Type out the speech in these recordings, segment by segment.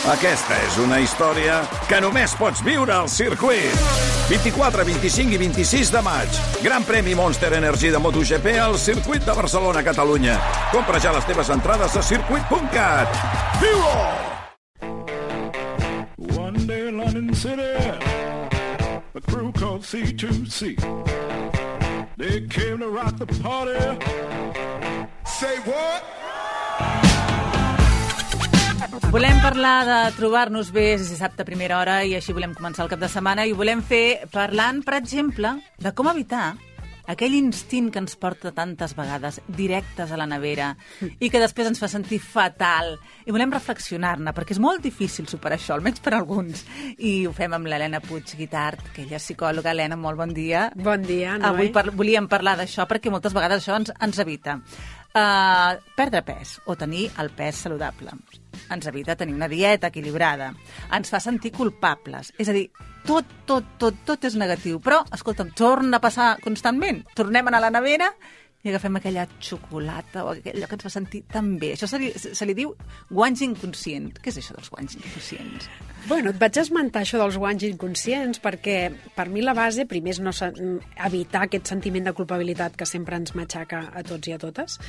Aquesta és una història que només pots viure al circuit. 24, 25 i 26 de maig. Gran premi Monster Energy de MotoGP al circuit de Barcelona, Catalunya. Compra ja les teves entrades a circuit.cat. Viu-ho! One day in London City, a crew called C2C. They came to rock the party. Say what? Volem parlar de trobar-nos bé, és dissabte a primera hora i així volem començar el cap de setmana i ho volem fer parlant, per exemple, de com evitar aquell instint que ens porta tantes vegades directes a la nevera i que després ens fa sentir fatal. I volem reflexionar-ne, perquè és molt difícil superar això, almenys per alguns. I ho fem amb l'Helena Puig Guitart, que ella és psicòloga. Helena, molt bon dia. Bon dia, Noé. Avui volíem parlar d'això perquè moltes vegades això ens evita. Perdre pes o tenir el pes saludable. Ens evita tenir una dieta equilibrada. Ens fa sentir culpables. És a dir, tot és negatiu. Però, escolta'm, torna a passar constantment. Tornem a anar a la nevera i agafem aquella xocolata o allò que ens fa sentir tan bé. Això se li diu guanys inconscient. Què és això dels guanys inconscients? Bueno, et vaig esmentar això dels guanys inconscients perquè per mi la base, primer, és no evitar aquest sentiment de culpabilitat que sempre ens matxaca a tots i a totes,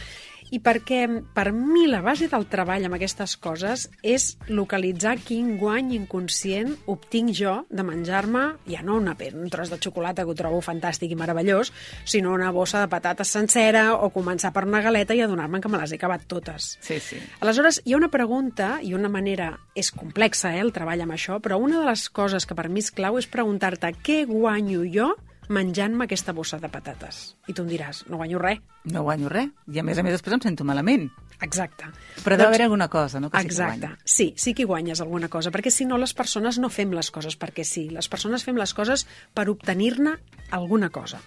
i perquè per mi la base del treball amb aquestes coses és localitzar quin guany inconscient obtinc jo de menjar-me, ja no un tros de xocolata que ho trobo fantàstic i meravellós, sinó una bossa de patates sencera o començar per una galeta i adonar-me que me les he acabat totes. Sí, sí. Aleshores, hi ha una pregunta i una manera, és complexa, el treball amb això, però una de les coses que per mi és clau és preguntar-te què guanyo jo menjant-me aquesta bossa de patates. I tu em diràs, no guanyo res. No guanyo res. I a més després em sento malament. Exacte. Però deu haver alguna cosa, no? Que exacte. Sí que guanyes alguna cosa, perquè si no les persones no fem les coses perquè sí. Les persones fem les coses per obtenir-ne alguna cosa.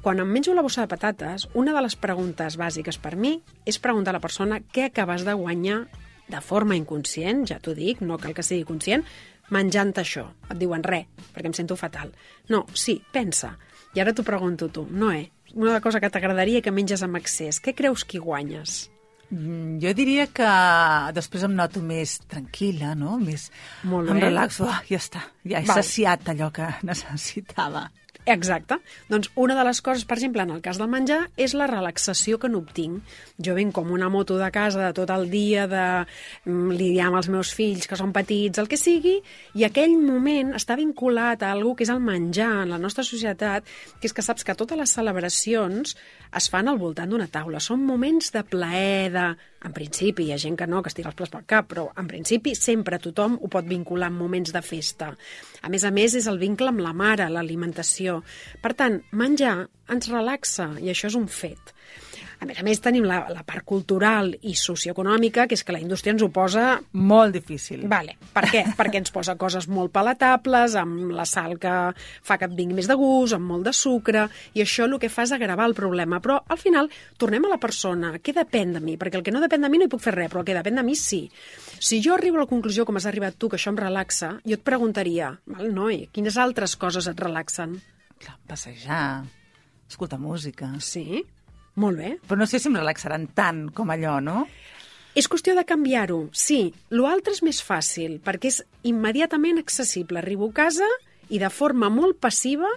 Quan em menjo la bossa de patates, una de les preguntes bàsiques per mi és preguntar a la persona què acabes de guanyar de forma inconscient, ja t'ho dic, no cal que sigui conscient, menjant això. Et diuen res, perquè em sento fatal. No, sí, pensa. I ara t'ho pregunto tu, Noé, una cosa que t'agradaria que menges amb excés, què creus que hi guanyes? Jo diria que després em noto més tranquil·la, no? Més Molt bé. Em relaxo, ja està, ja he saciat allò que necessitava. Exacte. Doncs una de les coses, per exemple, en el cas del menjar, és la relaxació que n'obtinc. Jo venc com una moto de casa de tot el dia, de lidiar amb els meus fills, que són petits, el que sigui, i aquell moment està vinculat a alguna que és el menjar en la nostra societat, que és que saps que totes les celebracions es fan al voltant d'una taula. Són moments de plaer, en principi, hi ha gent que no, que es tira els plats pel cap, però en principi sempre tothom ho pot vincular amb moments de festa. A més, és el vincle amb la mare, l'alimentació. Per tant, menjar ens relaxa i això és un fet. A més, tenim la part cultural i socioeconòmica, que és que la indústria ens ho posa... Molt difícil. Vale. Per què? Perquè ens posa coses molt palatables, amb la sal que fa que et vingui més de gust, amb molt de sucre, i això el que fa és agravar el problema. Però, al final, tornem a la persona. Què depèn de mi? Perquè el que no depèn de mi no hi puc fer res, però el que depèn de mi sí. Si jo arribo a la conclusió, com has arribat tu, que això em relaxa, jo et preguntaria, noi, quines altres coses et relaxen? Clar, passejar, escoltar música... Sí, molt bé. Però no sé si em relaxaran tant com allò, no? És qüestió de canviar-ho, sí. L'altre és més fàcil, perquè és immediatament accessible. Arribo a casa i de forma molt passiva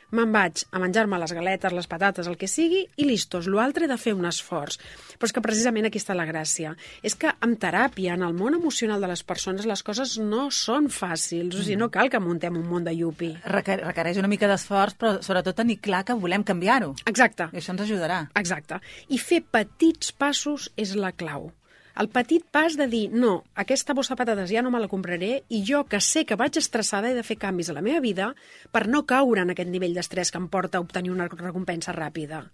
me'n vaig a menjar-me les galetes, les patates, el que sigui, i listos. L'altre he de fer un esforç. Però és que precisament aquí està la gràcia. És que en teràpia, en el món emocional de les persones, les coses no són fàcils. O sigui, no cal que muntem un món de yupi. Requereix una mica d'esforç, però sobretot tenir clar que volem canviar-ho. Exacte. I això ens ajudarà. Exacte. I fer petits passos és la clau. El petit pas de dir, no, aquesta bossa de patates ja no me la compraré i jo, que sé que vaig estressada, he de fer canvis a la meva vida per no caure en aquest nivell d'estrès que em porta a obtenir una recompensa ràpida.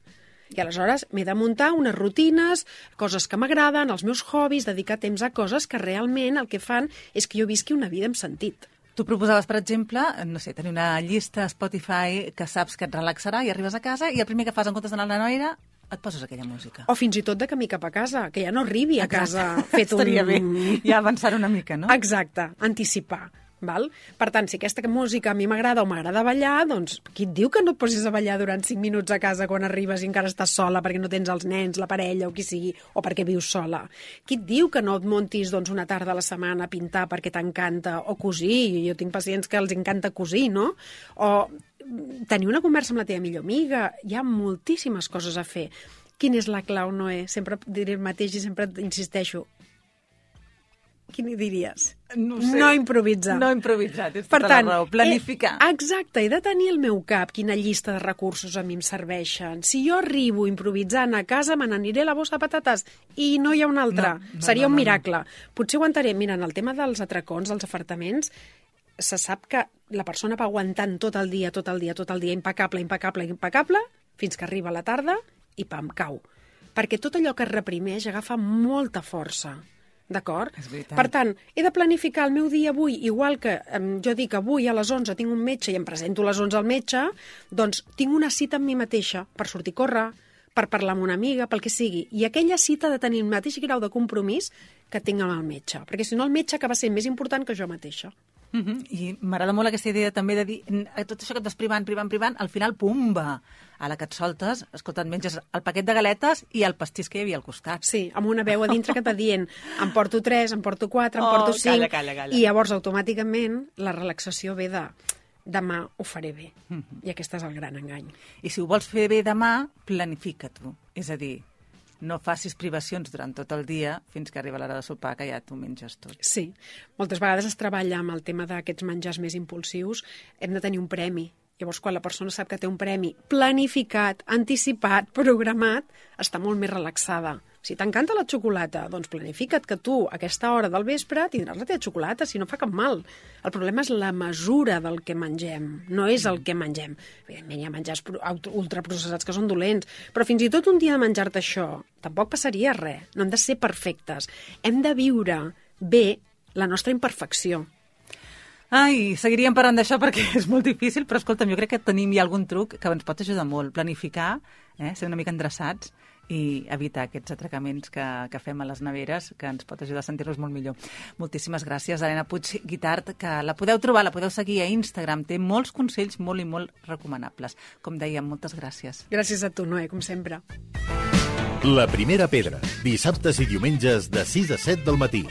I aleshores m'he de muntar unes rutines, coses que m'agraden, els meus hobbies, dedicar temps a coses que realment el que fan és que jo visqui una vida amb sentit. Tu proposaves, per exemple, no sé, tenir una llista Spotify que saps que et relaxarà i arribes a casa i el primer que fas en comptes d'anar a la noira et poses aquella música. O fins i tot de camí cap a casa, que ja no arribi a casa fet un... Estaria bé, ja avançar una mica, no? Exacte, anticipar. Val? Per tant, si aquesta música a mi m'agrada o m'agrada ballar, doncs qui et diu que no et posis a ballar durant 5 minuts a casa quan arribes i encara estàs sola perquè no tens els nens, la parella o qui sigui, o perquè vius sola? Qui et diu que no et muntis una tarda a la setmana a pintar perquè t'encanta, o cosir? Jo tinc pacients que els encanta cosir, no? O tenir una conversa amb la teva millor amiga. Hi ha moltíssimes coses a fer. Quina és la clau, Noé? Sempre diré el mateix i sempre insisteixo. Quin hi diries? No sé. No improvisar. No improvisar, tens per tota tant, la raó. Planificar. Exacte, he de tenir al meu cap quina llista de recursos a mi em serveixen. Si jo arribo improvisant a casa, me n'aniré a la bossa de patates i no hi ha una altra. Seria un miracle. Potser aguantaré. Mira, en el tema dels atracons, dels afartaments, se sap que la persona va aguantant tot el dia, impecable, fins que arriba la tarda i pam, cau. Perquè tot allò que es reprimeix agafa molta força. D'acord? Per tant, he de planificar el meu dia avui, igual que jo dic avui a les 11 tinc un metge i em presento a les 11 al metge, doncs tinc una cita amb mi mateixa per sortir a córrer, per parlar amb una amiga, pel que sigui. I aquella cita ha de tenir el mateix grau de compromís que tinc amb el metge, perquè si no el metge acaba sent més important que jo mateixa. I m'agrada molt aquesta idea també de dir tot això que et vas privant, al final, pumba, a la que et soltes, escolta, et menges el paquet de galetes i el pastís que hi havia al costat. Sí, amb una veu a dintre que et va dient em porto 3, em porto 4, em porto 5, calla. i llavors automàticament la relaxació ve de demà ho faré bé. I aquest és el gran engany. I si ho vols fer bé demà, planifica-t'ho. És a dir, no facis privacions durant tot el dia fins que arriba l'hora de sopar, que ja t'ho menges tot. Sí. Moltes vegades es treballa amb el tema d'aquests menjars més impulsius. Hem de tenir un premi. Llavors, quan la persona sap que té un premi planificat, anticipat, programat, està molt més relaxada. Si t'encanta la xocolata, doncs planifica't que tu, a aquesta hora del vespre, tindràs la teva xocolata, si no fa cap mal. El problema és la mesura del que mengem, no és el que mengem. Evidentment, hi ha menjars ultraprocessats que són dolents, però fins i tot un dia de menjar-te això, tampoc passaria res. No hem de ser perfectes. Hem de viure bé la nostra imperfecció. Ai, seguiríem parlant d'això perquè és molt difícil, però escolta'm, jo crec que tenim ja algun truc que ens pot ajudar molt. Planificar, ser una mica endreçats i evitar aquests atracaments que fem a les neveres, que ens pot ajudar a sentir-nos molt millor. Moltíssimes gràcies, Helena Puig Guitart, que la podeu trobar, la podeu seguir a Instagram. Té molts consells molt i molt recomanables. Com dèiem, moltes gràcies. Gràcies a tu, Noé, com sempre. La primera pedra, dissabtes i diumenges de 6 a 7 del matí.